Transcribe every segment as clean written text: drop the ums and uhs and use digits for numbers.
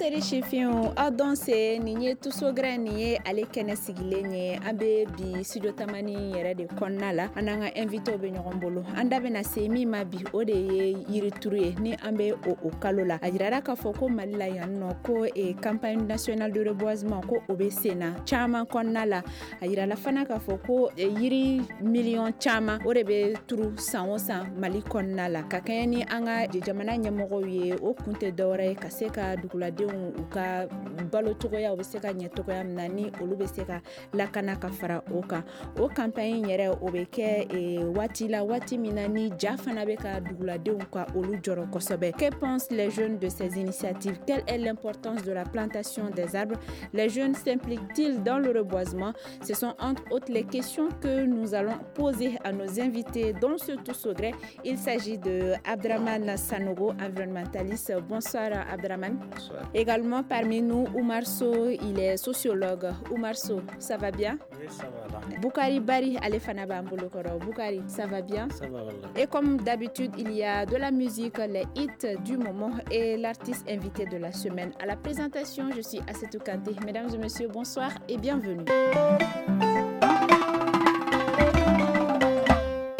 Teri sifinw, aw dɔn se. Nin ye Tous au gré, nin ye ale kɛnɛ sigilen ye. An bɛ bi studio Tamani yɛrɛ de kɔnɔna la. An n'an ka invité bɛ ɲɔgɔn bolo. An da bɛna se min ma bi, o de ye yirituru ye. Ni an bɛ o kalo la, a jirara k'a fɔ ko Mali la yan nɔ, ko campagne nationale de reboisement, ko o bɛ sen na caman kɔnɔna la. A yirala fana k'a fɔ ko yiri miliyɔn caman, o de bɛ turu san o san Mali kɔnɔna la, ka kɛɲɛ ni an ka jamana ɲɛmɔgɔw ye. O kun tɛ dɔwɛrɛ ye ka se ka duguladenw u ka balo cogoya u bɛ se ka ɲɛ cogoya min na, ni olu bɛ se ka lakana. Ka fara o kan, o campagne yɛrɛ, o bɛ kɛ waati la, waati min na ni ja fana bɛ ka duguladenw ka olu jɔrɔ kosɛbɛ. Que pensent les jeunes de ces initiatives? Quelle est l'importance de la plantation des arbres? Les jeunes s'impliquent-ils dans le reboisement? Ce sont entre autres les questions que nous allons poser à nos invités dans ce Tous au gré. Il s'agit de Abdraman Sanogo, environnementaliste. Bonsoir Abdraman. Bonsoir. Également parmi nous, Oumar Sow, il est sociologue. Oumar Sow, ça va bien? Oui, ça va. Boukari Bari, ale fana b'an bolokɔrɔ. Boukari, ça va bien? Ça va, voilà. Et comme d'habitude, il y a de la musique, les hits du moment et l'artiste invité de la semaine. À la présentation, je suis Assetou Kanté. Mesdames et messieurs, bonsoir et bienvenue.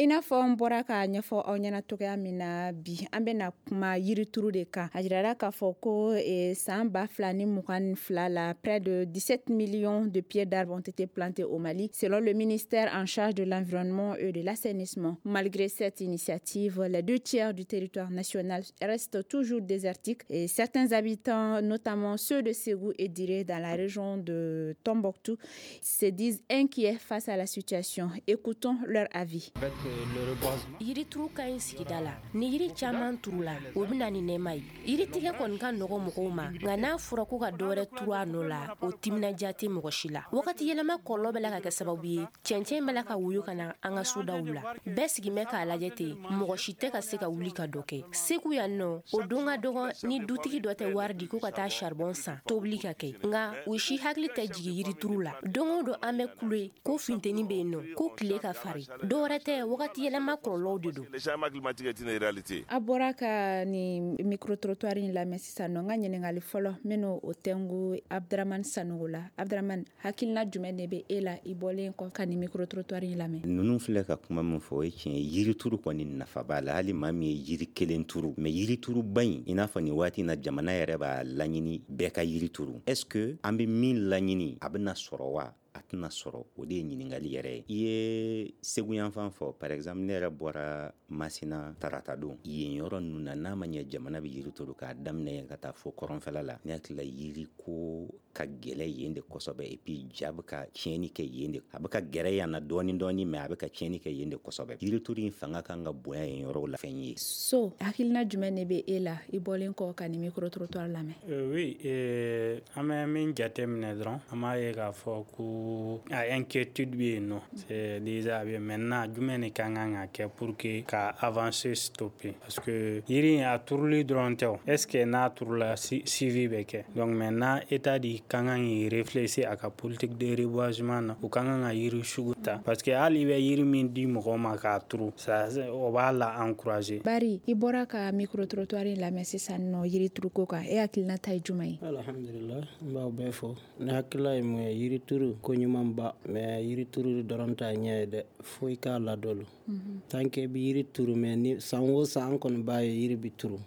I n'a fɔ n bɔra k'a ɲɛfɔ aw ɲɛna cogoya min na, bi an bɛna kuma yirituru de kan. A jirara k'a fɔ ko san 2022 la, près de 17 millions de pieds d'arbres ont été plantés au Mali, selon le ministère en charge de l'Environnement et de l'Assainissement. Malgré cette initiative, les deux tiers du territoire national restent toujours désertiques et certains habitants, notamment ceux de Ségou et Diré dans la région de Tombouctou, se disent inquiets face à la situation. Écoutons leur avis. Avec le reboisement. Yirituru ka ɲi sigida la. Ni yiri caman turula, o bɛ ni nɛɛma ye. Yiritigɛ kɔni ka nɔgɔ mɔgɔw ma, nka n'a fɔra ko ka dɔwɛrɛ turu a nɔ la, o timinadiya tɛ mɔgɔ si la. Wagati yɛlɛma kɔlɔlɔ bɛ la ka kɛ sababu ye, cɛncɛn bɛ la ka woyo ka na an ka sodaw la. Bɛɛ sigin bɛ k'a lajɛ ten, mɔgɔ si tɛ ka se ka wuli ka dɔ kɛ. Segu yan nɔ, o don ka dɔgɔ ni dutigi dɔ tɛ wari di ko ka taa charbon san tobili ka kɛ, nka u si hakili tɛ jigin yirituru la. Don o don an bɛ kule ko funteni bɛ yen nɔ, ko tile ka farin. Dɔwɛrɛ tɛ, wagati yɛlɛma kɔlɔlɔw de don. Le changement climatique est une réalité. A bɔra ka nin micro trottoir in lamɛn sisan nɔ. N ka ɲininkali fɔlɔ, n bɛn'o o tɛngu Abdramane Sanogo la. Abdramane, hakilina jumɛn de bɛ e la i bɔlen kɔ ka nin micro trottoir in lamɛn? Ninnu filɛ ka kuma min fɔ, o ye tiɲɛ ye. Yirituru kɔni nafa b'a la, hali maa min ye yiri kelen turu. Mais yirituruba in, i n'a fɔ nin waati in na, jamana yɛrɛ b'a laɲini bɛɛ ka yiri turu. Est ce que an bɛ min laɲini, a bɛna sɔrɔ wa a tɛna sɔrɔ? O de ye ɲininkali yɛrɛ ye. I ye Segu yanfan fɔ, par exemple, ne yɛrɛ bɔra Masina tarata don. Yen yɔrɔ ninnu na, n'a ma ɲɛ jamana bɛ yiri turu k'a daminɛ ka taa fo kɔrɔnfɛla la, ne hakili la, yiri ko ka gɛlɛ yen de kosɛbɛ. Et puis ja bɛ ka tiɲɛni kɛ yen de. A bɛ ka gɛrɛ yan na dɔɔni dɔɔni, mais a bɛ ka tiɲɛni kɛ yen de kosɛbɛ. Yirituru in fanga kan ka bonya yen yɔrɔw la, fɛn ye. So, hakilina jumɛn de bɛ e la i bɔlen kɔ ka nin micro trottoir lamɛn? Oui, an bɛ min jateminɛ dɔrɔn, an b'a ye k'a fɔ ko a inquiétude bɛ yen nɔ, c'est déjà a bɛ. Maintenant, jumɛn de ka kan ka kɛ pour que ka avancer stopper? Parce que yiri in a turuli dɔrɔn tɛ o, est ce que n'a turula, suivi bɛ kɛ? Donc maintenant, état de ka kan k'i réfléchir a ka politique de reboisement na. U ka kan ka yiri sugu ta, parce que hali i bɛ yiri min di mɔgɔw ma k'a turu, ça o b'a la encourager. Bari, i bɔra ka micro trottoir in lamɛn sisan nɔ yirituruko kan, e hakilina ta ye jumɛn ye? Alhamdulillah, n b'aw bɛɛ fo. Ne hakilila ye mun ye? Yirituru ko ɲuman ba, mais yirituru dɔrɔn t'a ɲɛ ye dɛ, fo i k'a ladon. Tant que i bɛ yiri turu, mais ni san o san an kɔni b'a ye yiri bi turu,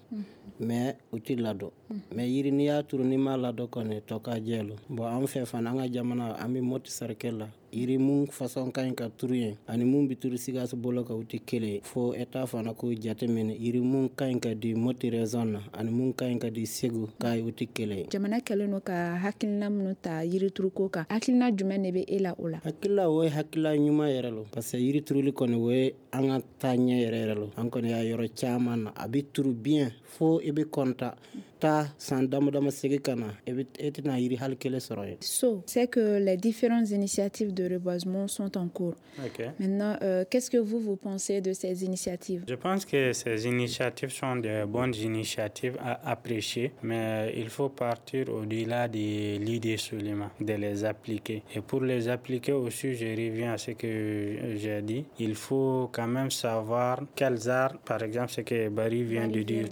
mais u ti ladon. Mais yiri n'i y'a turu, n'i m'a ladon kɔni, tɔ ka jɛ lo. Bon, an fɛ fana, an ka jamana, an bɛ Moti cercle la. Yiri mun façon ka ɲi ka turu yen ani mun bi turu Sikaso bolo kan, u tɛ kelen ye. Fo état fana k'o jateminɛ, yiri mun ka ɲi ka di Moti région na ani mun ka ɲi ka di Segu k'a ye, u tɛ kelen ye. Jamana kɛlen don ka hakilina minnu ta yirituruko kan, hakilina jumɛn de bɛ e la o la? Hakilila, o ye hakilila ɲuman yɛrɛ lo, parce que yiri turuli kɔni, o ye an ka taa ɲɛ yɛrɛ yɛrɛ lo. An kɔni y'a yɔrɔ caman na, a bɛ turu bien fo i bɛ kɔnta taa san dama dama, segin ka na, e tɛna yiri hali kelen sɔrɔ yen. So, c'est que les différentes initiatives de de reboisement sont en cours. Okay. Maintenant, qu'est-ce que vous pensez de ces initiatives? Je pense que ces initiatives sont de bonnes initiatives à apprécier, mais il faut partir au-delà de l'idée seulement, de les appliquer. Et pour les appliquer aussi, je reviens à ce que j'ai dit, il faut quand même savoir quels arbres, par exemple, ce que Barry vient de dire,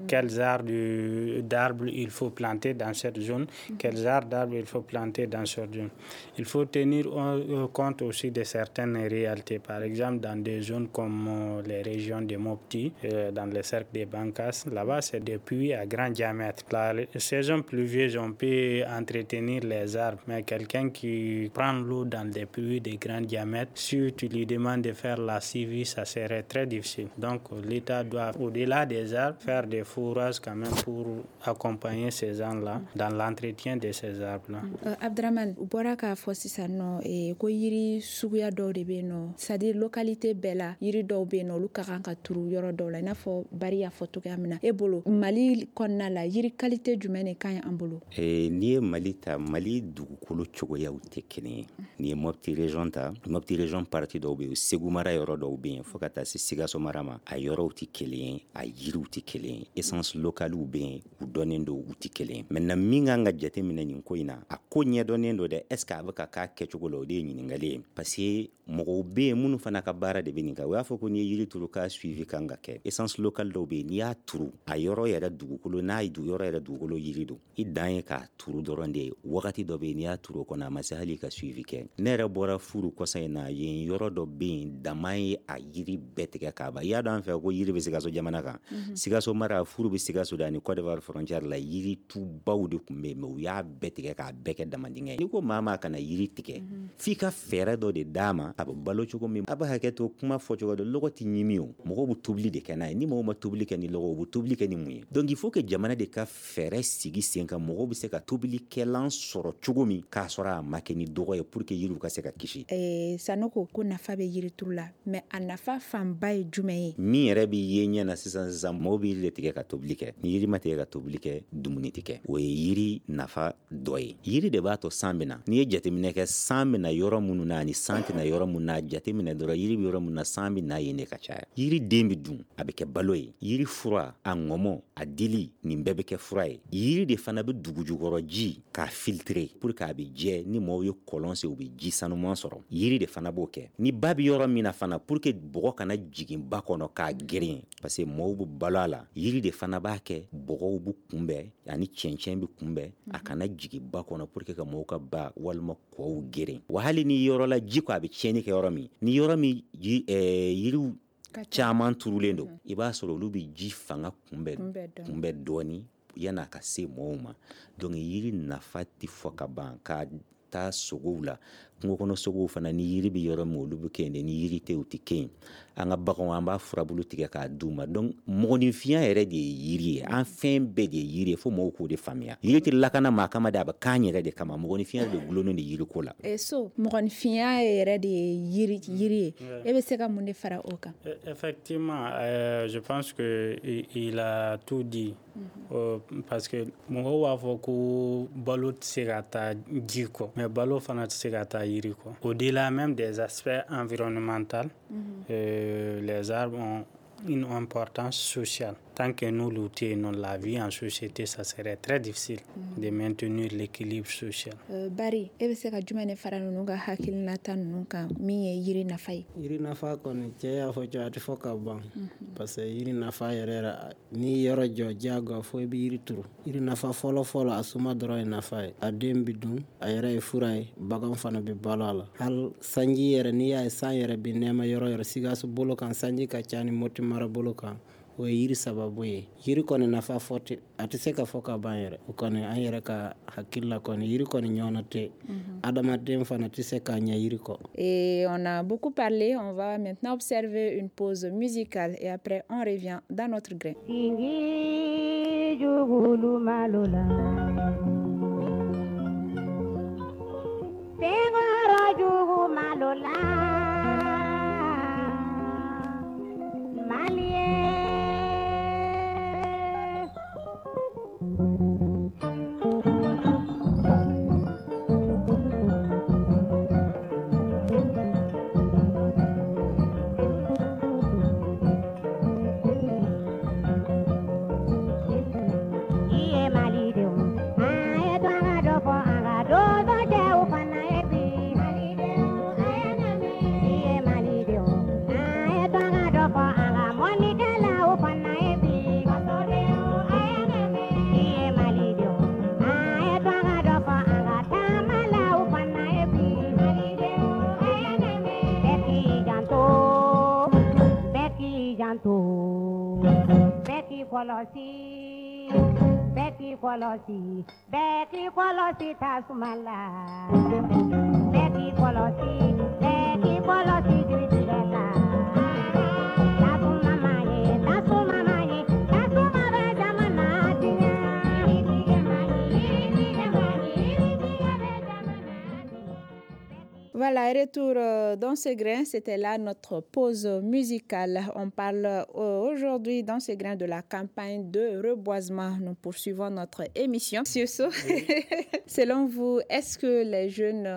quels arbres d'arbres il faut planter dans cette zone, quels arbres d'arbres il faut planter dans cette zone. Il faut tenir compte aussi de certaines réalités. Par exemple, dans des zones comme les régions de Mopti, dans le cercle des Bankas, là-bas, c'est des puits à grand diamètre. La saison pluvieuse, on peut entretenir les arbres, mais quelqu'un qui prend l'eau dans des puits de grand diamètre, si tu lui demandes de faire la suivi, ça serait très difficile. Donc, l'État doit, au-delà des arbres, faire des fourrages quand même pour accompagner ces gens-là dans l'entretien de ces arbres-là. Abdraman, u bɔra k'a fɔ sisan nɔ ko yiri suguya dɔw de bɛ yen nɔ, c'est-à-dire localité bɛɛ la yiri dɔw bɛ yen nɔ olu ka kan ka turu yɔrɔ dɔw la, i n'a fɔ Bari y'a fɔ cogoya min na. E bolo Mali kɔnɔna la yiri qualité jumɛn de ka ɲi an bolo? N'i ye Mali ta, Mali dugukolo cogoyaw tɛ kelen ye. N'i ye Mopti région ta, Mopti région partie dɔw bɛ yen, Segu mara yɔrɔ dɔw bɛ yen fo ka taa se Sikaso mara ma, a yɔrɔw tɛ kelen ye, a yiriw tɛ kelen ye, essence locale bɛ yen, u dɔnnen don, u tɛ kelen ye. Maintenant min kan ka jateminɛ nin ko in na, a ko ɲɛdɔnnen don dɛ, est-ce que a bɛ ka k'a kɛcogo la, o de ye ɲininkali ye. Parce que mɔgɔw bɛ yen minnu fana ka baara de bɛ nin kan. U y'a fɔ ko n'i ye yiri turu k'a suivi kan ka kɛ. Essence locale dɔw bɛ yen, n'i y'a turu a yɔrɔ yɛrɛ dugukolo, n'a ye yɔrɔ yɛrɛ dugukolo yiri don, i dan ye k'a turu dɔrɔn de ye. Wagati dɔ bɛ yen n'i y'a turu o kɔnɔ, a ma se hali ka suivi kɛ. Ne yɛrɛ bɔra furu kɔsa in na, yen yɔrɔ dɔ bɛ yen, dama ye a yiri bɛɛ tigɛ k'a ban. I y'a dɔn an fɛ ko yiri bɛ Sikaso jamana kan. Sikaso mara, furu bɛ Sikaso de ani Côte d'Ivoire frontière la, yiri tubaw de tun bɛ yen, mais u y'a bɛɛ tigɛ k'a bɛɛ kɛ damandingɛ ye. N'i ko maa maa kana yiri tigɛ, f'i ka fɛɛrɛ dɔ de d'a ma a bɛ balo cogo min. A bɛ hakɛ to kuma fɔ cogo dɔ, lɔgɔ tɛ ɲimi o, mɔgɔw bɛ tobili de kɛ n'a ye. Ni mɔgɔw ma tobili kɛ ni lɔgɔ, u bɛ tobili kɛ ni mun ye? Donc il faut que jamana de ka fɛɛrɛ sigi sen kan, mɔgɔw bɛ se ka tobilikɛlan sɔrɔ cogo min k'a sɔrɔ a ma kɛ ni dɔgɔ ye, pour que yiriw ka se ka kisi. Sanoko ko nafa bɛ yirituru la, mais a nafa fanba ye jumɛn ye? Min yɛrɛ bɛ ye ɲɛ na sisan sisan, mɔgɔw bɛ yiri de tigɛ ka tobili kɛ. Ni yiri ma tigɛ ka tobili kɛ, dumuni tɛ kɛ. O ye yiri nafa dɔ ye. Yiri de b'a to san bɛ na. N'i ye jateminɛ kɛ, san bɛ na yɔrɔ minnu na ani san tɛ na yɔrɔ minnu na, jateminɛ dɔrɔn yiri bɛ yɔrɔ minnu na, san bɛ na yen de ka caya. Yiri den bɛ dun, a bɛ kɛ balo ye. Yiri fura, a ŋɔmɔ, a dili, nin bɛɛ bɛ kɛ fura ye. Yiri de fana bɛ dugujukɔrɔ ji k'a filtrer pour que a bɛ jɛ, ni mɔgɔw ye kɔlɔn sen u bɛ ji sanuman sɔrɔ. Yiri de fana b'o kɛ. Ni ba bɛ yɔrɔ min na fana, pour que bɔgɔ kana jigin ba kɔnɔ k'a geren, parce que mɔgɔw bɛ balo a la, yiri de fana b'a kɛ bɔgɔw bɛ kunbɛn ani cɛncɛn bɛ kunbɛn, a kana jigin ba kɔnɔ pour que ka mɔgɔw ka ba walima kɔw geren. Wa hali ni yɔrɔ la ji ko a bɛ tiɲɛni kɛ yɔrɔ min, ni yɔrɔ min yiriw caman turulen don, i b'a sɔrɔ olu bɛ ji fanga kunbɛn dɔɔni yan'a ka se mɔgɔw ma. Donc yiri nafa tɛ fɔ ka ban. Ka taa sogow la, kungo kɔnɔ sogow fana, ni yiri bɛ yɔrɔ min olu bɛ kɛ yen de, ni yiri tɛ u tɛ kɛ yen. An ka baganw an b'a furabulu tigɛ k'a d'u ma. Donc mɔgɔninfinya yɛrɛ de ye yiri ye, an fɛn bɛɛ de ye yiri ye, fo mɔgɔw k'o de faamuya. Yiri tɛ lakana maa kama de, a bɛ k'an yɛrɛ de kama. Mɔgɔninfinya de gulonnen de yiriko la. So mɔgɔninfinya yɛrɛ de ye yiri ye. E bɛ se ka mun de fara o kan? Effectivement, je pense que il a tout dit. Parce que mɔgɔw b'a fɔ ko balo tɛ se ka taa ji kɔ, mais balo fana tɛ se ka taa yiri kɔ. Au-delà même des aspects environnementaux, les arbres ont une importance sociale. Tant que nous luttons la vie en société, ça serait très difficile de maintenir l'équilibre social. Bari, e bɛ se ka jumɛn de fara ninnu ka hakilinata ninnu kan min ye yiri nafa ye? Yiri nafa kɔni, cɛ y'a fɔ cogo a tɛ fɔ ka ban. Parce que yiri nafa yɛrɛ yɛrɛ, n'i yɔrɔ jɔ diyagoya fo i bɛ yiri turu. Yiri nafa fɔlɔ fɔlɔ, a suma dɔrɔn ye nafa ye. A den bɛ dun, a yɛrɛ ye fura ye, bagan fana bɛ balo a la. Hali sanji yɛrɛ, n'i y'a ye san yɛrɛ bɛ nɛɛma yɔrɔ yɔrɔ, Sikaso bolo kan sanji ka ca ni Mopti mara bolo kan, o ye yiri sababu ye. Yiri kɔni nafa fɔ tɛ, a tɛ se ka fɔ ka ban yɛrɛ. O kɔni an yɛrɛ ka hakili la kɔni, yiri kɔni ɲɔgɔnna tɛ. Adamaden fana tɛ se k'a ɲɛ yiri kɔ. Et on a beaucoup parlé, on va maintenant observer une pause musicale et après on revient dans notre grain. kɔlɔsi, bɛɛ k'i kɔlɔsi, bɛɛ k'i kɔlɔsi tasuma la. Bɛɛ k'i kɔlɔsi, bɛɛ k'i kɔlɔsi jiritigɛ la. Tasuma ma ye, tasuma ma ye, tasuma bɛ jamana tiɲɛ. Yiritigɛ ma ɲi, yiritigɛ ma ɲi, yiritigɛ bɛ jamana tiɲɛ. Voilà, retour dans ce grain, c'était là notre pause musicale. On parle aujourd'hui dans ce grain de la campagne de reboisement. Nous poursuivons notre émission. Monsieur Sow, selon vous, est-ce que les jeunes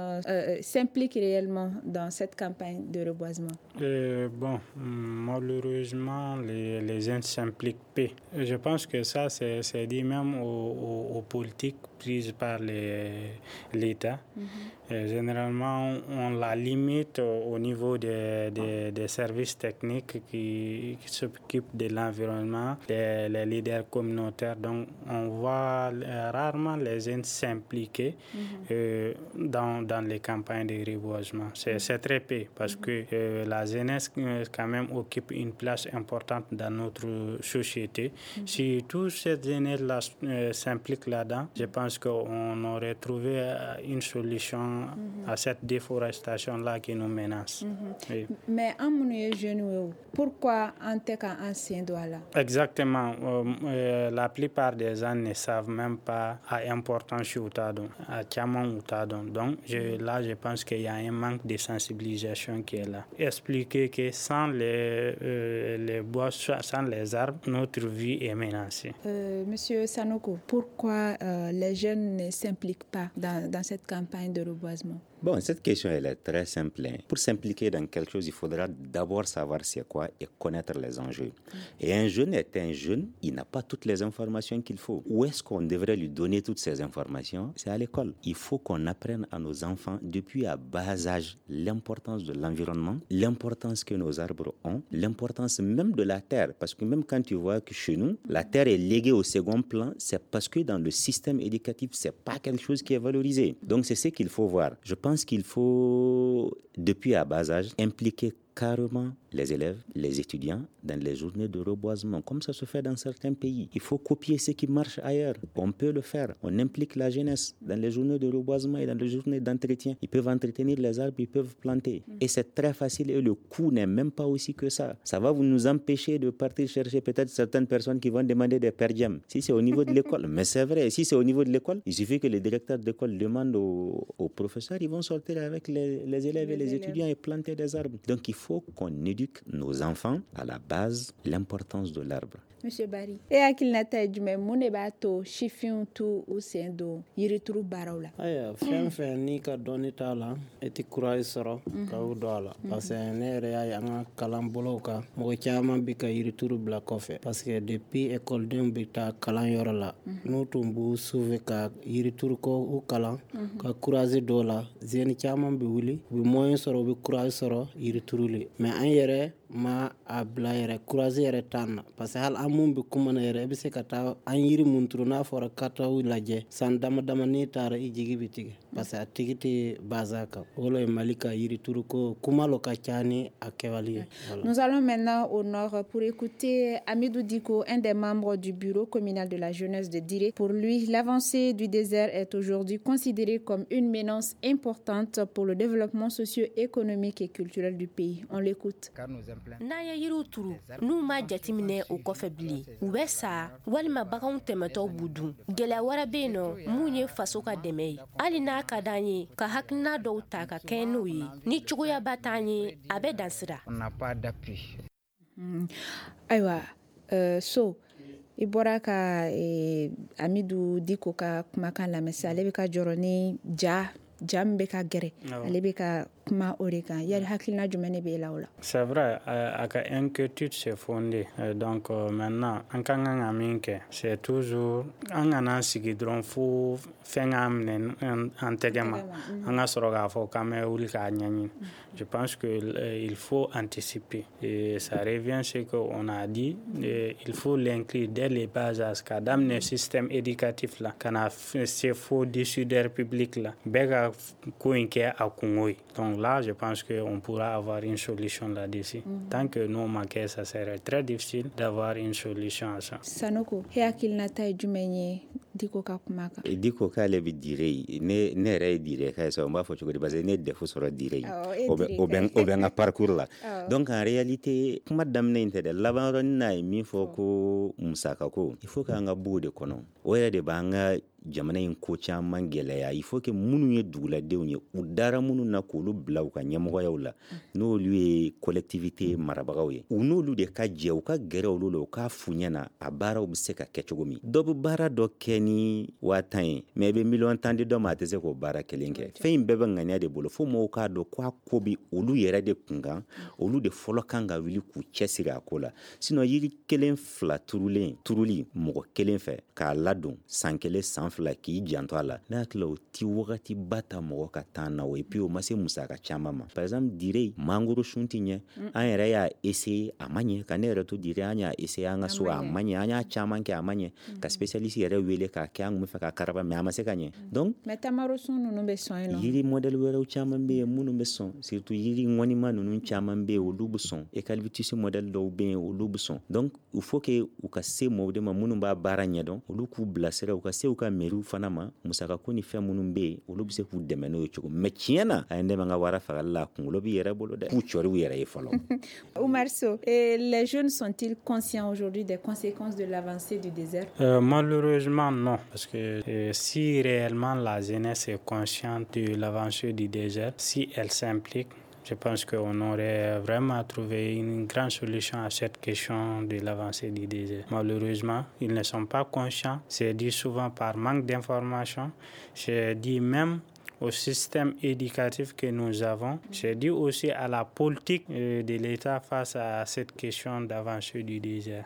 s'impliquent réellement dans cette campagne de reboisement? Bon, malheureusement, les jeunes s'impliquent peu. Je pense que ça, c'est dit même aux politiques prises par l'État. Généralement, on la limite au niveau des services techniques qui s'occupent de l'environnement, les leaders communautaires. Donc, on voit rarement les jeunes s'impliquer dans les campagnes de reboisement. C'est très peu parce que la jeunesse quand même occupe une place importante dans notre société. Si toute cette jeunesse-là s'implique là-dedans, je pense qu'on aurait trouvé une solution à cette déforestation-là qui nous menace. Oui. Mais en mon jeune, pourquoi en tant qu'ancien doit là? Exactement. La plupart des gens ne savent même pas l'importance du tadon, à caman ou tadon. Donc là, je pense qu'il y a un manque de sensibilisation qui est là. Expliquer que sans les bois, sans les arbres, notre vie est menacée. Monsieur Sanogo, pourquoi les jeunes ne s'impliquent pas dans cette campagne de reboisement? Bon, cette question, elle est très simple. Hein. Pour s'impliquer dans quelque chose, il faudra d'abord savoir c'est quoi et connaître les enjeux. Et un jeune est un jeune, il n'a pas toutes les informations qu'il faut. Où est-ce qu'on devrait lui donner toutes ces informations? C'est à l'école. Il faut qu'on apprenne à nos enfants, depuis à bas âge, l'importance de l'environnement, l'importance que nos arbres ont, l'importance même de la terre. Parce que même quand tu vois que chez nous, la terre est léguée au second plan, c'est parce que dans le système éducatif, c'est pas quelque chose qui est valorisé. Donc c'est ce qu'il faut voir. Je pense qu'il faut, depuis à bas âge, impliquer carrément les élèves, les étudiants dans les journées de reboisement, comme ça se fait dans certains pays. Il faut copier ce qui marche ailleurs. On peut le faire. On implique la jeunesse dans les journées de reboisement et dans les journées d'entretien. Ils peuvent entretenir les arbres, ils peuvent planter. Et c'est très facile et le coût n'est même pas aussi que ça. Ça va nous empêcher de partir chercher peut-être certaines personnes qui vont demander des per diem. Si c'est au niveau de l'école, mais c'est vrai, si c'est au niveau de l'école, il suffit que les directeurs d'école demandent aux professeurs, ils vont sortir avec les élèves et les étudiants et planter des arbres. Donc il faut qu'on éduque nos enfants à la base l'importance de l'arbre. Monsieur Barry, e hakilinata ye jumɛn mun de b'a to sifinw t'u u sen don yirituru baaraw la? Ayiwa, fɛn fɛn n'i ka dɔnni t'a la, i tɛ courage sɔrɔ ka o don a la. Parce que ne yɛrɛ y'a ye an ka kalanbolow kan, mɔgɔ caman bɛ ka yirituru bila kɔfɛ. Parce que depuis ekɔlidenw bɛ taa kalanyɔrɔ la, n'u tun b'u sauver ka yirituru ko u kalan, ka courage dɔw la, jeunes caman bɛ wuli, u bɛ moyen sɔrɔ, u bɛ courage sɔrɔ yirituru le. Mais an yɛrɛ ma a bila yɛrɛ, courage yɛrɛ t'an na. Parce que hali an mun bɛ kuma na yɛrɛ, i bɛ se ka taa an yiri mun turu n'a fɔra ka taa u lajɛ san dama dama n'i taara i jigi bɛ tigɛ parce que a tigi tɛ baza kan. O le ye Mali ka yirituru ko kuma lo ka ca ni a kɛwale ye. Nous allons maintenant au nord pour écouter Amidou Diko, un des membres du bureau communal de la jeunesse de Diré. Pour lui, l'avancée du désert est aujourd'hui considérée comme une menace importante pour le développement socio-économique et culturel du pays. On l'écoute. N'an ye yiriw turu n'u ma jateminɛ o kɔfɛ bilen, u bɛ sa walima baganw tɛmɛtɔ b'u dun. Gɛlɛya wɛrɛ bɛ yen nɔ mun ye faso ka dɛmɛ ye. Hali n'a ka d'an ye ka hakilina dɔw ta ka kɛɲɛ n'o ye, ni cogoyaba t'an ye, a bɛ dan sira. Ayiwa, so i bɔra ka Amidou Diko ka kumakan lamɛn sisan, ale bɛ ka jɔrɔ ni ja min bɛ ka gɛrɛ, ale bɛ ka kuma o de kan. Yali hakilina jumɛn de b'e la o la? C'est vrai, a ka inquiétude c'est fondé. Donc maintenant an ka kan ka min kɛ, c'est toujours an kana sigi dɔrɔn fo fɛn k'an minɛ an tɛgɛ ma, an ka sɔrɔ k'a fɔ k'an bɛ wuli k'a ɲɛɲini. Je pense que il faut anticiper. Et ça revient ce qu'on a dit, il faut l'inclure dès les bas âges, ka daminɛ système éducatif la, ka na se fo décideur public la, bɛɛ ka ko in kɛ a kungo ye. Donc Donc là, je pense qu'on pourra avoir une solution là-dessus. Tant que n'o ma kɛ, ça serait très difficile d'avoir une solution à ça. Sanoko, e hakilinata ye jumɛn ye Diko ka kuma kan? Diko k'ale bɛ Dire, ne yɛrɛ ye Dire ka ye sa, n b'a fɔ cogo di, parce que ne ye DEF sɔrɔ Dire, o bɛ n ka parcours la. Donc en réalité, kuma daminɛ in tɛ dɛ, laban yɔrɔnin na ye min fɔ ko musaka ko, il faut k'an ka bɔ o de kɔnɔ. O yɛrɛ de b'an ka jamana in ko caman gɛlɛya. Il faut que minnu ye duguladenw ye, u dara minnu na k'olu bila u ka ɲɛmɔgɔyaw la, n'olu ye collectivité marabagaw ye, u n'olu de ka jɛ, u ka gɛrɛ olu la, u k'a f'u ɲɛna a baaraw bɛ se ka kɛ cogo min. Dɔ bɛ baara dɔ kɛ ni 10 000 ye, mais i bɛ miliyɔn 10 di dɔ ma, a tɛ se k'o baara kelen kɛ. Fɛn in bɛɛ bɛ ŋaniya de bolo. Fo mɔgɔw k'a dɔn k'a ko bɛ olu yɛrɛ de kun kan, olu de fɔlɔ kan ka wuli k'u cɛsiri a ko la. Sinon yiri kelen fila turulen turuli mɔgɔ kelen fɛ k'a ladon san kelen, san 2, k'i janto a la, ne hakili la o ti wagati ba ta mɔgɔ ka temps na o. Et puis o ma se musaka caman ma. Par exemple, Dire, mangoro sun ti ɲɛ. An yɛrɛ y'a essayer, a ma ɲɛ. Ka ne yɛrɛ to Dire, an y'a essayer an ka so, a ma ɲɛ. An y'a caman kɛ, a ma ɲɛ. Ka spécialiste yɛrɛ wele k'a kɛ, an kun bɛ fɛ ka karaba, mais a ma se ka ɲɛ. Donc mais tamaro sun ninnu bɛ sɔn yen nɔ. Yiri modèle wɛrɛw caman bɛ yen minnu bɛ sɔn, surtout yiri ŋɔnima ninnu caman bɛ yen, olu bɛ sɔn. Eucalyptus modèle dɔw bɛ yen, olu bɛ sɔn. Donc il faut que u ka se mɔgɔw de ma minnu b'a baara ɲɛdɔn, olu k'u bilasira, u ka se u ka mairie fana ma. Musakako ni fɛn minnu bɛ yen, olu bɛ se k'u dɛmɛ n'o ye cogo. Mais tiɲɛ na, a ye n dɛmɛ n ka wara fagali la, a kunkolo b'i yɛrɛ bolo dɛ, k'u cɔri u yɛrɛ ye fɔlɔ. Oumar Sow, les jeunes sont-ils conscients aujourd'hui des conséquences de l'avancée du désert? Malheureusement non, parce que si réellement la jeunesse est consciente de l'avancée du désert, si elle s'implique, je pense qu'on aurait vraiment trouvé une grande solution à cette question de l'avancée du désert. Malheureusement, ils ne sont pas conscients. C'est dit souvent par manque d'information. C'est dit même au système éducatif que nous avons. C'est dû aussi à la politique de l'État face à cette question d'avancée du désert.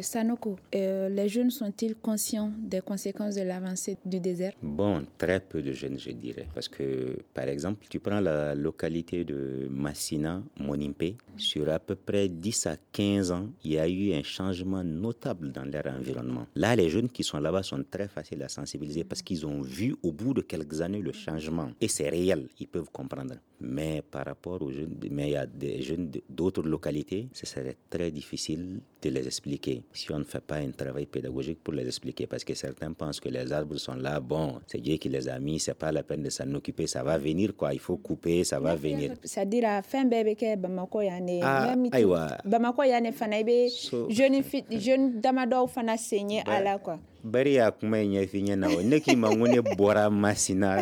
Sanoko, les jeunes sont-ils conscients des conséquences de l'avancée du désert? Bon, très peu de jeunes, je dirais. Parce que, par exemple, tu prends la localité de Massina, Monipé, sur à peu près 10 à 15 ans, il y a eu un changement notable dans leur environnement. Là, les jeunes qui sont là-bas sont très faciles à sensibiliser parce qu'ils ont vu au bout de quelques années le changement. Et c'est réel, ils peuvent comprendre. Mais par rapport aux jeunes, mais il y a des jeunes d'autres localités, ce serait très difficile de les expliquer si on ne fait pas un travail pédagogique pour les expliquer, parce que certains pensent que les arbres sont là, bon, c'est Dieu qui les a mis, c'est pas la peine de s'en occuper, ça va venir quoi, il faut couper, ça va venir. C'est-à-dire fɛn bɛɛ bɛ kɛ Bamakɔ yan de. Ah, ayiwa. Bamakɔ yan de fana, i bɛ jeune jeune damadɔw fana sen ye a la quoi. Bari y'a kuma in ɲɛf'i ɲɛna o, ne k'i ma n ko ne bɔra Masina,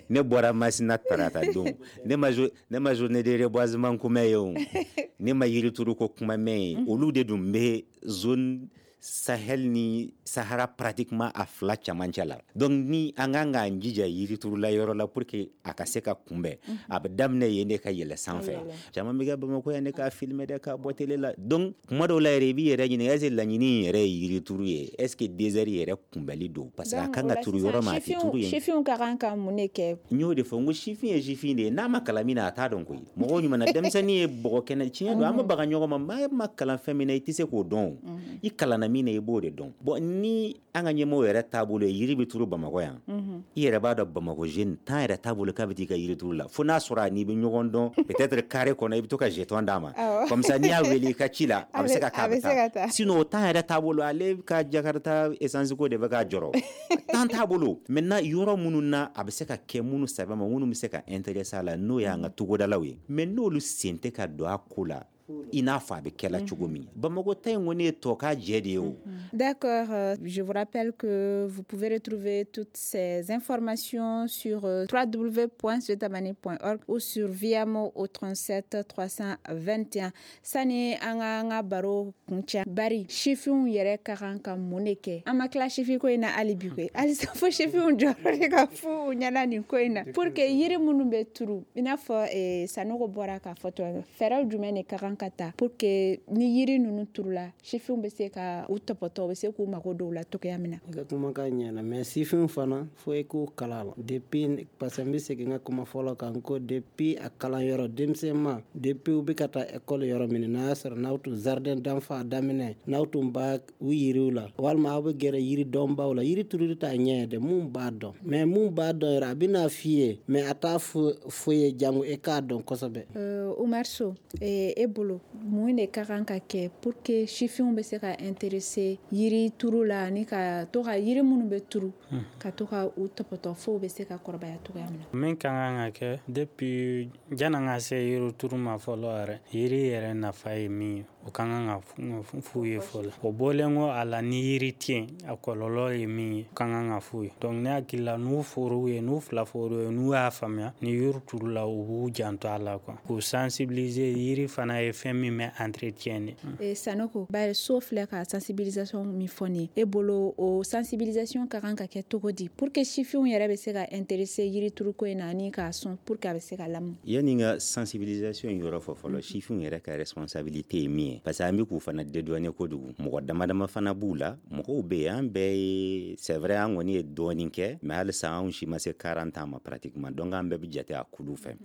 ne bɔra Masina tarata don, ne ma journée de reboisement kuma ye o, ne ma yirituru ko kuma mɛn ye. Olu de dun bɛ zone Sahel ni Sahara pratiquement a fila camancɛ la. Donc ni an kan k'an jija yiriturula yɔrɔ la pour que a ka se ka kunbɛn, a bɛ daminɛ yen de ka yɛlɛ sanfɛ. Caman bɛ kɛ Bamakɔ yan de k'a filmer dɛ, k'a bɔ télé la. Donc kuma dɔw la yɛrɛ, i b'i yɛrɛ ɲininka, est ce que laɲini in yɛrɛ ye yirituru ye, est ce que désert yɛrɛ kunbɛli don? Parce que a kan ka turu yɔrɔ min, a tɛ turu yen. Sifinw ka kan ka mun de kɛ? N y'o de fɔ, n ko sifin ye sifin de ye, n'a ma kalan min na, a t'a dɔn koyi. Mɔgɔw ɲuman na, denmisɛnnin ye bɔgɔ kɛnɛ. Tiɲɛ don, an bɛ baga ɲɔgɔn ma. Maa ma kalan fɛn min na, i tɛ se k'o dɔn. I kalanna min na, i b'o de dɔn. Bon, ni an ka ɲɛmɔgɔw yɛrɛ taabolo ye yiri bɛ turu Bamakɔ yan, i yɛrɛ b'a dɔn Bamakɔ jeune tan yɛrɛ t'a bolo k'a bɛ t'i ka yiri turu la, fo n'a sɔrɔ a n'i bɛ ɲɔgɔn dɔn, peut-être carré kɔnɔ, i bɛ to ka jeton d'a ma, comme ça n'i y'a wele i ka ci la, a bɛ se ka k'a bɛ taa. Sinon o temps yɛrɛ t'a bolo, ale ka Jakarta essence ko de bɛ k'a jɔrɔ, temps t'a bolo. Maintenant, yɔrɔ minnu na a bɛ se ka kɛ, minnu sɛbɛ ma, minnu bɛ se ka intéressé a la, n'o y'an ka togodalaw ye, mais n'olu sen tɛ ka don a ko la i n'a fɔ a bɛ kɛla cogo min, Bamakɔ ta in kɔni ye tɔ ka jɛ de ye o. D'accord, je vous rappelle que vous pouvez retrouver toutes ces informations sur www.zetamani.org ou sur Viamo au 37 321. Sani an ka baro kuncɛ, bari sifinw yɛrɛ ka kan ka mun de kɛ? An ma tila sifin ko in na hali bi koyi. Halisa fo sifinw jɔyɔrɔ de ka f'u ɲɛna nin ko in na pour que yiri minnu bɛ turu, i n'a fɔ Sanogo bɔra k'a fɔ cogo min, fɛɛrɛw jumɛn de ka kan? ka ta pour que ni yiri ninnu turula, sifinw bɛ se ka u tɔpɔtɔ, u bɛ se k'u mago don u la cogoya min na? I ka kumakan ɲɛna, mais sifinw fana, fo i k'u kala la depuis, parce que n bɛ segin n ka kuma fɔlɔ kan ko depuis a kalan yɔrɔ, denmisɛnma, depuis u bɛ ka taa école yɔrɔ min, n'a y'a sɔrɔ n'aw tun jardin d'enfant daminɛ, n'aw tun b'a u yiriw la, walima aw bɛ gɛrɛ yiri dɔnbaw la. Yiri turuli t'a ɲɛ ye dɛ, mun b'a dɔn, mais mun b'a dɔn yɛrɛ, a bɛna f'i ye, mais a t'a fɔ ye jango e k'a dɔn kosɛbɛ. Umar So, e bolo, mun de ka kan ka kɛ pour que sifinw bɛ se ka intéresser yiri turu la, ani ka to ka yiri minnu bɛ turu, ka to ka u tɔpɔtɔ fo u bɛ se ka kɔrɔbaya cogoya min na? Min ka kan ka kɛ, depuis janni ka se yiri turu ma fɔlɔ yɛrɛ, yiri yɛrɛ nafa ye min ye, o ka kan ka f'u ye fɔlɔ. O bɔlen kɔ a la, ni yiri tɛ yen, a kɔlɔlɔ ye min ye, o ka kan ka f'u ye. Donc ne hakili la, n'u for'u ye, n'u fila for'u ye, n'u y'a faamuya, ni yiri turula, u b'u janto a la quoi, k'u sensibiliser. Yiri fana ye fɛn min bɛ entretien de. Sanoko, bari So filɛ ka sensibilisation min fɔ nin ye, e bolo, o sensibilisation ka kan ka kɛ cogo di pour que sifinw yɛrɛ bɛ se ka intéresser yiri turuko in na, ani k'a sɔn pour que a bɛ se ka lamɔ? Yanni n ka sensibilisation yɔrɔ fɔ fɔlɔ, sifinw yɛrɛ ka responsabilité ye min ye, parce que an bɛ k'u fana dédouaner kojugu. Mɔgɔ dama dama fana b'u la, mɔgɔw bɛ yen, an bɛɛ ye, c'est vrai, an kɔni ye dɔɔnin kɛ, mais halisa anw si ma se 40 ans ma pratiquement. Donc an bɛɛ bɛ jate a kulu fɛ.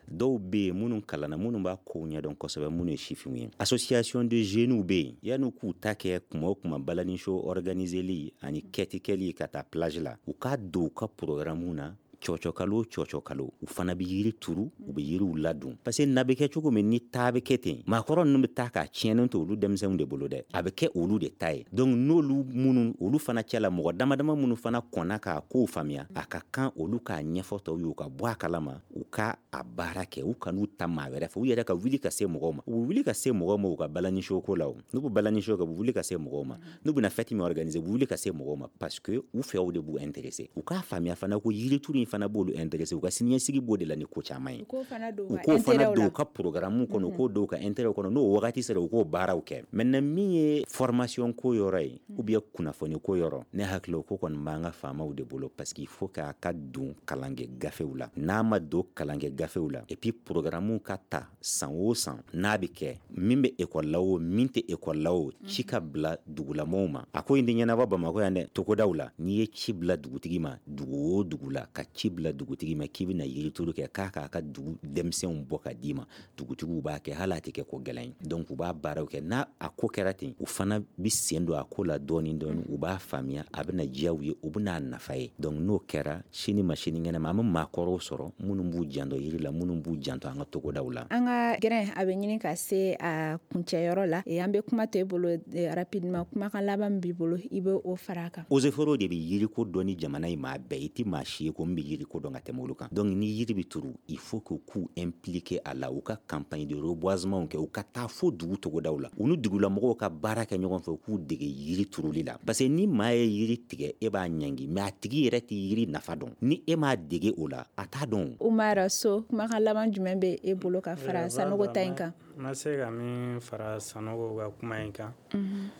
Dɔw bɛ yen minnu kalanna, minnu b'a kow ɲɛdɔn kosɛbɛ, minnu ye sifinw ye. Association de jeunes bɛ yen. Yanni k'u ta kɛ kuma o kuma balani show organiseli ani kɛti kɛli ka taa plage la, u k'a don u ka programme na, cɔcɔ kalo o cɔcɔ kalo, u fana bɛ yiri turu, u bɛ yiriw ladon, parce que na bɛ kɛ cogo min, ni taa bɛ kɛ ten, maakɔrɔ ninnu bɛ taa k'a tiɲɛnen to olu denmisɛnninw de bolo dɛ, a bɛ kɛ olu de ta ye. Donc n'olu minnu, olu fana cɛla mɔgɔ dama dama minnu fana kɔnna k'a kow faamuya, a ka kan olu k'a ɲɛfɔ tɔw ye, u ka bɔ a kalama, u ka a baara kɛ. U kan'u ta maa wɛrɛ fɛ, u yɛrɛ ka wuli ka se mɔgɔw ma. U bɛ wuli ka se mɔgɔw ma u ka balani ko la. O n'u bɛ balani kɛ, u bɛ wuli ka se mɔgɔw ma. N'u bɛna fête min organiser, u bɛ wuli ka se mɔgɔw ma, parce que u fɛw de b'u intéresser. U k'a faamuya fana ko yirituru in fana b'olu intéresser, u ka siniɲɛsigi b'o de la ni ko caman ye. U k'o fana don u k'o fana don u ka programme kɔnɔ, u k'o don u ka intérêt kɔnɔ. N'o wagati sera, u k'o baaraw kɛ. Maintenant, min ye formation ko yɔrɔ ye ou bien kunnafoni ko yɔrɔ, ne hakili o ko kɔni b'an ka faamaw de bolo, parce qu'il faut k'a ka don kalankɛ gafew la. N'a ma don kalankɛ gafew la, et puis programme ka ta san o san, n'a bɛ kɛ, min bɛ école la o, min tɛ école la o, ci ka bila dugulamɔgɔw ma. A ko in tɛ ɲɛnabɔ Bamakɔ yan dɛ, togodaw la. N'i ye ci bila dugutigi ma, dugu o dugu la, ka ci bila dugutigi ma k'i bɛna yirituru kɛ, k'a k'a ka dugu denmisɛnw bɔ ka d'i ma, dugutigiw b'a kɛ, hali a tɛ kɛ ko gɛlɛn ye. Donc u b'a baaraw kɛ. N'a a ko kɛra ten, u fana bɛ sen don a ko la dɔɔni dɔɔni, u b'a faamuya, a bɛna diya u ye, u bɛna nafa ye. Donc n'o kɛra, sini ma sinikɛnɛ ma, an bɛ maakɔrɔw sɔrɔ minnu b'u janto yiri la, minnu b'u janto an ka togodaw la. An ka gɛrɛn a bɛ ɲini ka se a kuncɛyɔrɔ la. An bɛ kuma to e bolo rapidement, kumakan laban min b'i bolo, i bɛ o fara a kan. Eaux et forêts de bɛ yiriko dɔn ni jamana in maa bɛɛ. I tɛ maa si ye ko n bɛ yiriko dɔn ka tɛmɛ olu kan. Donc ni yiri bɛ turu, il faut que k'u impliquer a la, u ka campagne de reboisement kɛ, u ka taa fo dugu togodaw la, u ni dugulamɔgɔw ka baara kɛ ɲɔgɔn fɛ, u k'u dege yiri turuli la, parce que ni maa ye yiri tigɛ, e b'a ɲangi, mais a tigi yɛrɛ tɛ yiri nafa dɔn. Ni e m'a dege o la, a t'a dɔn. Umar So, kumakan laban jumɛn bɛ e bolo ka fara Sanogo ta in kan? N ma se ka min fara Sanogo ka kuma in kan,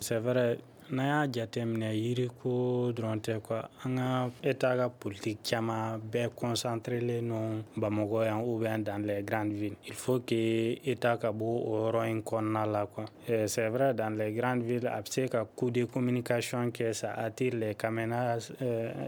c'est vrai, n'an y'a jateminɛ, yiriko dɔrɔn tɛ quoi, an ka État ka politique caman bɛɛ concentrelen non Bamakɔ yan ou bien dans les grandes villes. Il faut que État ka bɔ o yɔrɔ in kɔnɔna la quoi. C'est vrai, dans les grandes villes, a bɛ se ka coup de communication kɛ, ça attire les caméras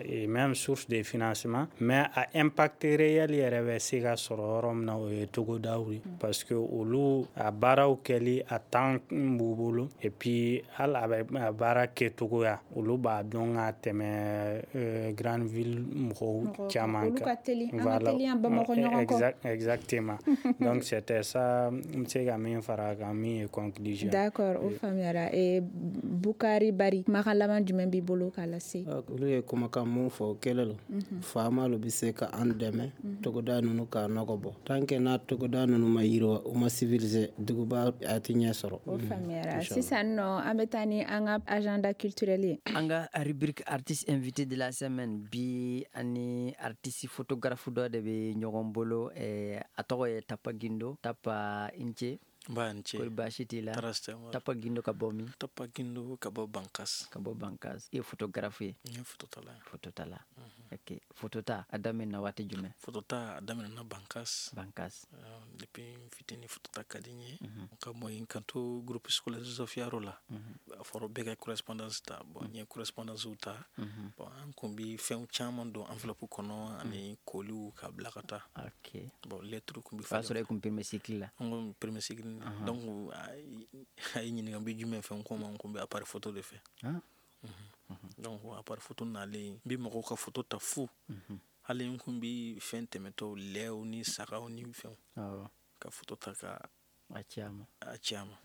et même source de financement, mais a impact réel yɛrɛ bɛ se ka sɔrɔ yɔrɔ min na, o ye togodaw ye, parce que olu a baaraw kɛli a temps b'u bolo, et puis hali a bɛ baara kɛcogoya, olu b'a dɔn ka tɛmɛ grande ville mɔgɔw caman kan. Olu ka teli, an ka teli yan Bamakɔ ɲɔgɔn kɔ. Exactement, donc c'était ça, n bɛ se ka min fara a kan, min ye conclusion. D'accord, o faamuyara. Bukari Bari, kumakan laban jumɛn b'i bolo k'a lase? Olu ye kumakan mun fɔ, o kɛlen lo, faamalu bɛ se ka an dɛmɛ togoda ninnu k'a nɔgɔ bɔ. Tant que n'a togoda ninnu ma yiriwa, u ma civilisé, duguba a tɛ ɲɛ sɔrɔ. O faamuyara. Sisan nɔ, an bɛ taa ni an ka agenda culturel ye. An ka rubrique artiste invité de la semaine, bi ani artiste photographe dɔ de bɛ ɲɔgɔn bolo, a tɔgɔ ye Tapa Gindo. Tapa, i ni ce. Ba ni ce. Kori baasi t'i la? Tɔɔrɔ si tɛ. Tapa Gindo ka bɔ min? Tapa Gindo ka bɔ Bankas. Ka bɔ Bankas. I ye photographe ye? N ye phototala ye. Phototala. Ok. Photota a daminɛna waati jumɛn? Photota a daminɛna Bankas. Bankas. Depuis n fitinin photota ka di n ye. Ka bɔ yen ka to groupe scolaire Joseph Yaro la. A fɔra bɛɛ ka correspondance ta. Bon, n ye correspondance ta. Bon, an kun bi fɛn caman don enveloppe kɔnɔ ani koliw ka bila ka taa. Ok. Bon, lettre kun bi O y'a sɔrɔ e kun premier cycle la. N kun premier cycle. Donc a ye ɲininka n bɛ jumɛn fɛ, n ko ma n kun bɛ appareil photo de fɛ. Donc appareil photo nalen, n bɛ mɔgɔw ka photo ta fu. Hali n kun bɛ fɛn tɛmɛtɔ lɛw ni sagaw ni fɛnw. Ka photo ta ka a ci a ma. A ci a ma.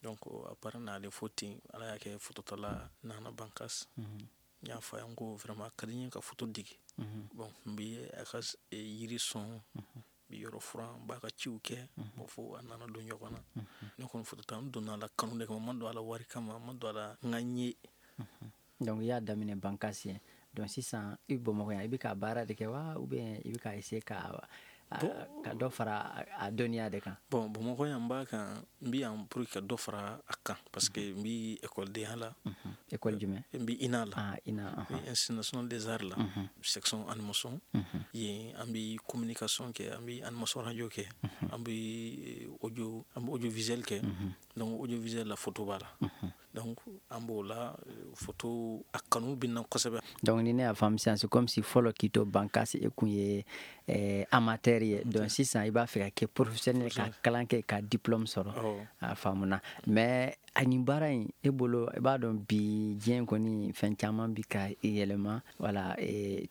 Donc appareil nalen fo ten, Ala y'a kɛ phototala nana Bankas. N y'a fɔ a ye n ko vraiment a ka di n ye ka photo dege. Bon, n bɛ a ka yiri sɔn. Bi yɔrɔ furan, n b'a ka ciw kɛ. Bon, fo a nana don ɲɔgɔn na. Ne kɔni photo ta, n donna a la kanu de kama, n ma don a la wari kama, n ma don a la n ka n ye. Donc i y'a daminɛ Bankas yen. Donc sisan i bɛ Bamakɔ yan, i bɛ ka baara de kɛ wa ou bien i bɛ ka essayer ka dɔ fara a dɔnniya de kan? Bon, Bamakɔ yan n b'a kan, n bɛ yan pour que ka dɔ fara a kan parce que n bɛ ekɔlidenya la. École jumɛn? N bɛ INA la. Ah, INA. Institut national des arts la. Section animation. Yen an bɛ communication kɛ, an bɛ animation radio kɛ, an bɛ audio, an bɛ audiovisuel kɛ. Donc audiovisuel la photo b'a la. Donc an b'o la photo a kanu bɛ n na kosɛbɛ. Donc ni ne y'a faamu sisan, c'est comme si fɔlɔ k'i to Bankas e kun ye amateur ye. Donc sisan i b'a fɛ ka kɛ professionnel, ka kalan kɛ, ka diplôme sɔrɔ. A faamuna. Mais a nin baara in e bolo, i b'a dɔn bi diɲɛ kɔni fɛn caman bi ka yɛlɛma. Voilà,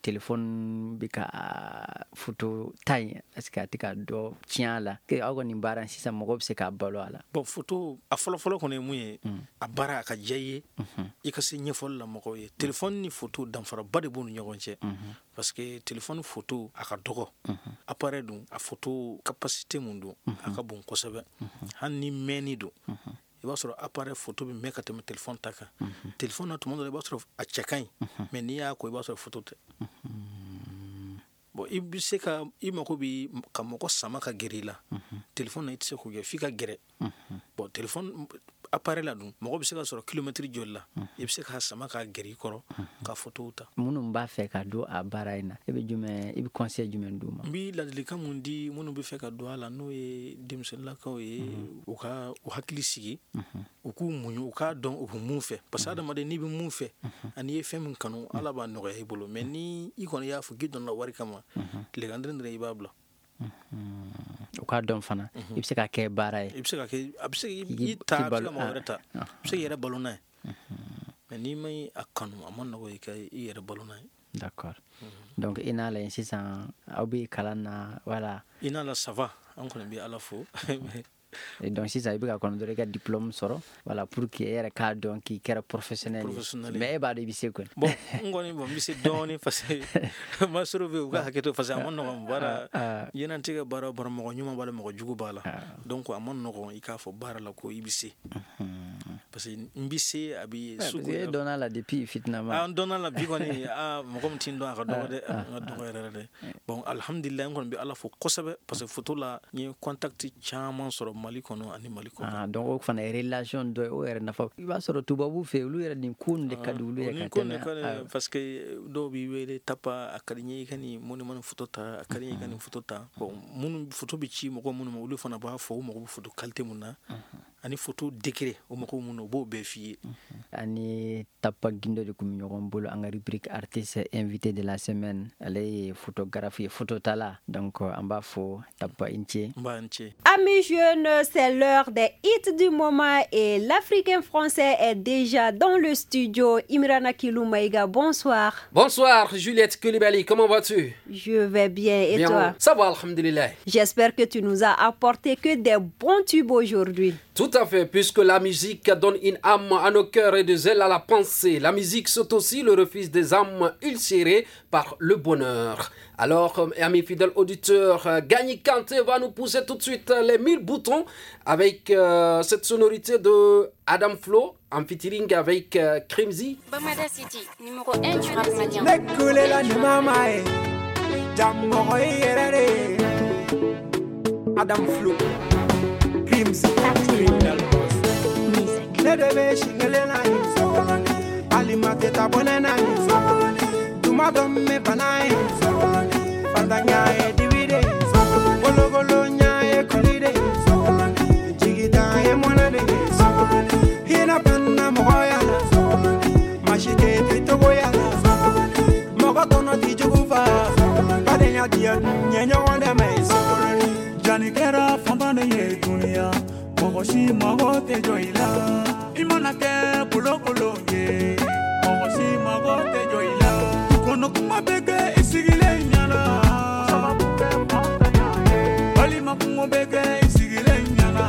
téléphone bi ka photo ta in, est-ce que a tɛ ka dɔ tiɲɛ a la? Aw ka nin baara in sisan mɔgɔw bɛ se k'a balo a la? Bon, photo a fɔlɔ-fɔlɔ kɔni ye mun ye, a baara a ka diya i ye, i ka se ɲɛfɔli la mɔgɔw ye. Téléphone ni photo danfaraba de b'u ni ɲɔgɔn cɛ. Parce que téléphone photo a ka dɔgɔ. Appareil dun a photo capacité mun don, a ka bon kosɛbɛ. Hali ni mɛnni don, i b'a sɔrɔ appareil photo bɛ mɛn ka tɛmɛ téléphone ta kan. Téléphone na tuma dɔ la i b'a sɔrɔ a cɛ ka ɲi, mais n'i y'a ko i b'a sɔrɔ photo tɛ. Bon, i bɛ se ka i mako bɛ ka mɔgɔ sama ka gɛrɛ i la. Téléphone na i tɛ se k'o kɛ f'i ka gɛrɛ. Bon, téléphone appareil la dun mɔgɔ bɛ se ka sɔrɔ kilomètre joli la, i bɛ se k'a sama k'a gɛrɛ i kɔrɔ ka photo ta. Minnu b'a fɛ ka don a baara in na, e bɛ jumɛn, i bɛ conseil jumɛn d'u ma? N bɛ ladilikan mun di minnu bɛ fɛ ka don a la, n'o ye denmisɛnninlakaw ye, u ka u hakili sigi, u k'u muɲu, u k'a dɔn u bɛ mun fɛ. Parce que adamaden n'i bɛ mun fɛ ani i ye fɛn min kanu, Ala b'a nɔgɔya i bolo. Mais ni i kɔni y'a fɔ k'i donna wari kama, tilegan dɔrɔn i b'a bila. U k'a dɔn fana i bɛ se ka kɛ baara ye. I bɛ se ka kɛ, a bɛ se i ta, a bɛ se ka mɔgɔ wɛrɛ ta, a bɛ se k'i yɛrɛ balo n'a ye. Mais n'i ma a kanu, a ma nɔgɔ i ka i yɛrɛ balo n'a ye. D'accord. Donc i n'a la yen sisan, aw bɛ kalan na, voilà. I n'a la ça va, an kɔni bɛ Ala fo. Et donc sisan i bɛ ka kɔnɔ dɔrɔn i ka diplôme sɔrɔ, voilà, pour que e yɛrɛ k'a dɔn k'i kɛra professionnel ye. Mais e b'a dɔn i bɛ se kɔni. Bon, n kɔni bon n bɛ se dɔɔnin parce que masɔrɔ bɛ yen, u ka hakɛ to parce que a ma nɔgɔn baara. Diɲɛlatigɛ baara o baara, mɔgɔ ɲuman b'a la, mɔgɔ jugu b'a la. Donc a ma nɔgɔn i k'a fɔ baara la ko i bɛ se. Parce que n bɛ se a bɛ sugu. Parce que e dɔnna la depuis fitinama. N dɔnna la bi kɔni, mɔgɔ min tɛ n dɔn a ka dɔgɔ dɛ, a ka dɔgɔ yɛrɛ dɛ. Bon, alhamdulilayi n kɔni bɛ Ala fo kosɛbɛ parce que photo la n ye contact caman sɔrɔ Mali kɔnɔ ani Mali kɔnɔ. Donc o fana ye relation dɔ ye, o yɛrɛ nafa. I b'a sɔrɔ tubabu fɛ olu yɛrɛ nin ko de ka di olu ye ka tɛmɛ. Parce que dɔw b'i wele Tapa, a ka di n ye i ka nin monument photo ta, a ka di n ye i ka nin photo ta. Bon, minnu photo bɛ ci mɔgɔ minnu ma, olu fana b'a fɔ u mago bɛ photo qualité mun na. Ani photo degré o mɔgɔw minnu, u b'o bɛɛ f'i ye. Ani Tapa Gindo de kun bɛ ɲɔgɔn bolo an ka rubrique artiste invité de la semaine. Ale ye photographe ye, phototala. Donc an b'a fɔ Tapa i ni ce. N b'a ni ce. Amis jeunes, c'est l'heure des hits du moment et l'Africain français est déjà dans le studio. Imrana Kilou Maïga, bonsoir. Bonsoir Juliette Coulibaly, comment vas-tu? Je vais bien et bien, toi? Ça va, alhamdulillah. J'espère que tu nous as apporté que des bons tubes aujourd'hui. Tout à fait, puisque la musique donne une âme à nos cœurs et des ailes à la pensée. La musique, c'est aussi le refuge des âmes ulcérées par le bonheur. Alors, amis fidèles auditeurs, Gagny Kanté va nous pousser tout de suite les 1000 boutons avec cette sonorité de Adam Flo en featuring avec Crimzy. Bamada City, numéro 1 du rap malien. Adam Flo, Crimzy. Ne de bɛ sinkelen na ye sokolonin alima tɛ taa bɔnɛ na ye sokolonin tuma dɔ n bɛ bana ye sokolonin fatanya ye dibi de ye kolokolonya ye kɔli de ye sokolonin jigitan ye mɔnɛ de ye sokolonin hinɛ banna mɔgɔya la sokolonin maa si tɛ togoya la sokolonin mɔgɔ tɔnɔ ti jugu fa badenya diya ɲɛ ɲɔgɔn dɛmɛ ye sokolonin jani kɛra fantan de ye dunuya mɔgɔ si mago tɛ jɔ i la i mana kɛ kolokolo ye mɔgɔ si mago tɛ jɔ i la kɔnɔ kuma bɛ kɛ i sigilen ɲɛna sababu kɛ fantanya ye walima kungo bɛ kɛ i sigilen ɲɛna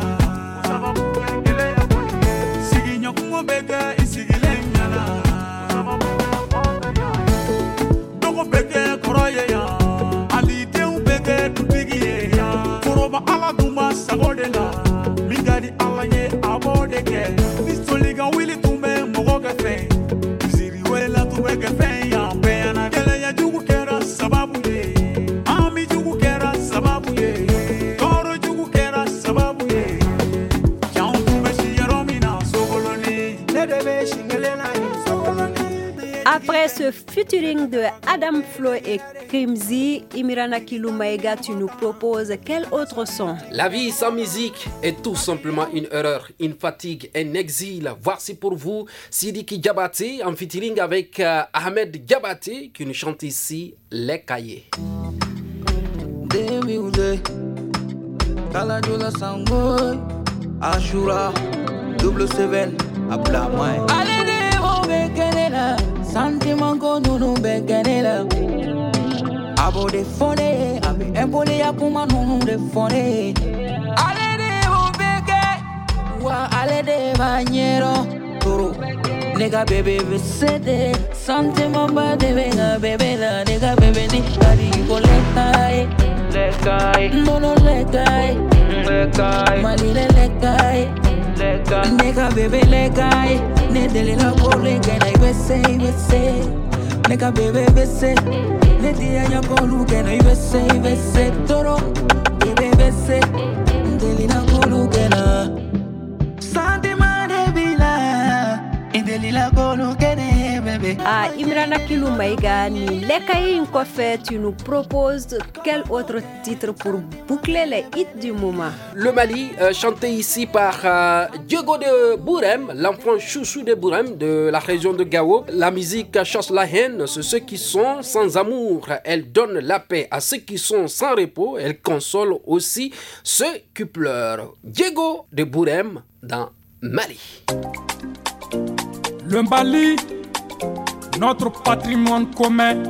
sababu kɛ gɛlɛya kɔni ye sigiɲɔgɔn bɛ kɛ i sigilen ɲɛna sababu kɛ fantanya ye dɔgɔ bɛ kɛ kɔrɔ ye yan hali denw bɛ kɛ dutigi ye yan foroba ala dun b'a sago de la min ka di ala ye a b'o de kɛ ni soli ka wuli tun bɛ mɔgɔ kɛ fɛn misiri wɛrɛ tun bɛ kɛ fɛn yan bɛɛ na gɛlɛya jugu kɛra sababu ye ami jugu kɛra sababu ye tɔɔrɔ jugu kɛra sababu ye janw tun bɛ si yɔrɔ min na sokolonin ne de bɛ sinkelen na ye sokolonin. Après ce featuring de Adam Flo et Krimzi, Imirana Kiloumaïga, tu nous proposes quel autre son? La vie sans musique est tout simplement une erreur, une fatigue, un exil. Voici pour vous Sidiki Diabaté en featuring avec Ahmed Diabaté qui nous chante ici Les Cahiers. Ashura, double seven, Sentiment ko nunu bɛ kɛ ne la a b'o de fɔ ne ye a bɛ impolia kuma nunu de fɔ ne ye ale de b'o bɛɛ kɛ wa ale de b'a ɲɛdɔn toro ne ka bébé bɛ se de sentiment ba de bɛ n ka bébé la ne ka bébé ni ka di ko lɛka ye nɔnɔ lɛka ye Mali lɛka ye ne ka bébé lɛka ye ne delila ko le kɛ na i bɛ se i bɛ se ne ka bébé bɛ se ne diya ɲɛ k'olu kɛ na i bɛ se i bɛ se toro bébé bɛ se n delila k'olu kɛ na sentiment de b'i la i delila k'olu kɛ ne ye bébé. Ah, Imrana Kiloumaïga, ni Lekaye in kɔfɛ, tu nous proposes quel autre titre pour boucler les hits du moment? Le Mali, chanté ici par Diego de Bourem, l'enfant chouchou de Bourem de la région de Gao. La musique chasse la haine, c'est ceux qui sont sans amour. Elle donne la paix à ceux qui sont sans repos. Elle console aussi ceux qui pleurent. Diego de Bourem dans Mali. Le Mali, notre patrimoine commun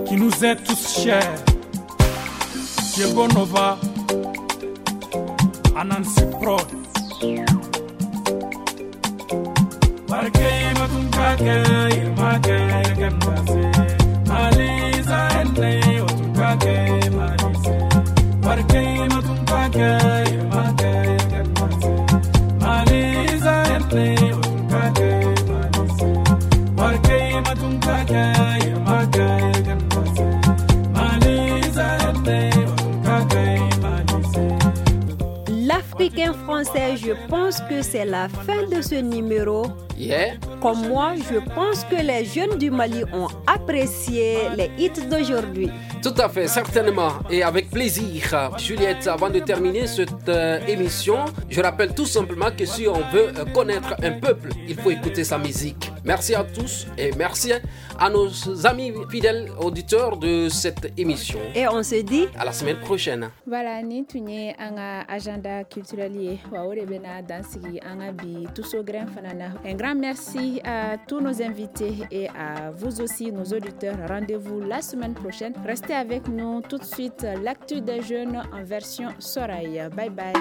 qui nous est tous cher. Diego Nova, Anansi Prod. L'Africain français, je pense que c'est la fin de ce numéro. Yeah. Comme moi, je pense que les jeunes du Mali ont apprécié les hits d'aujourd'hui. Tout à fait, certainement, et avec plaisir. Juliette, avant de terminer cette émission, je rappelle tout simplement que si on veut connaître un peuple, il faut écouter sa musique. Merci à tous et merci à nos amis fidèles auditeurs de cette émission. Et on se dit à la semaine prochaine. Voilà, ni tun ye an ka agenda culturel ye wa o de bɛna dan sigi an ka bi tuso grin fana na. Un grand merci à tous nos invités et à vous aussi, nos auditeurs. Rendez-vous la semaine prochaine. Restez avec nous tout de suite, l'actu des jeunes en version Soraï. Bye bye.